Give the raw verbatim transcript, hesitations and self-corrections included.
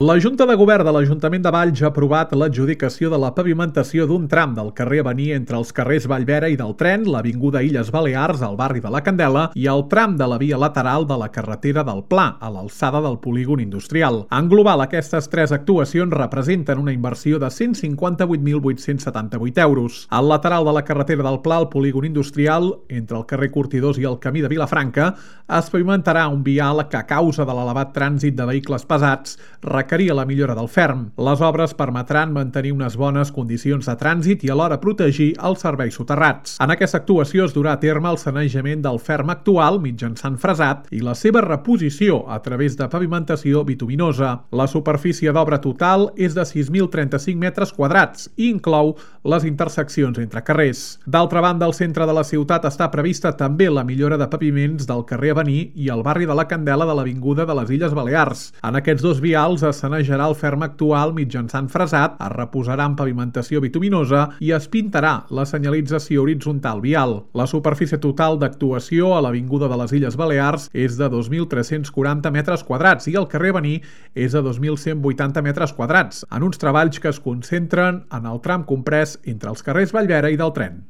La Junta de Govern de l'Ajuntament de Valls ha aprovat l'adjudicació de la pavimentació d'un tram del carrer Avenir entre els carrers Vallvera i del Tren, l'avinguda Illes Balears, al barri de la Candela, i el tram de la via lateral de la carretera del Pla, a l'alçada del polígon industrial. En global, aquestes tres actuacions representen una inversió de cent cinquanta-vuit mil vuit-cents setanta-vuit euros. Al lateral de la carretera del Pla, al polígon industrial, entre el carrer Curtidors i el camí de Vilafranca, es pavimentarà un vial que, a causa de l'elevat trànsit de vehicles pesats, requeria la millora del ferm. Les obres permetran mantenir unes bones condicions de trànsit i alhora protegir els serveis soterrats. En aquesta actuació es durà a terme el sanejament del ferm actual mitjançant fresat i la seva reposició a través de pavimentació bituminosa. La superfície d'obra total és de sis mil trenta-cinc metres quadrats i inclou les interseccions entre carrers. D'altra banda, al centre de la ciutat està prevista també la millora de paviments del carrer Avenir i el barri de la Candela de l'avinguda de les Illes Balears. En aquests dos vials es sanejarà el ferm actual mitjançant fresat, es reposarà en pavimentació bituminosa i es pintarà la senyalització horitzontal vial. La superfície total d'actuació a l'avinguda de les Illes Balears és de dos mil tres-cents quaranta metres quadrats i el carrer Avenir és de dos mil cent vuitanta metres quadrats, en uns treballs que es concentren en el tram comprès entre els carrers Vallvera i del Tren.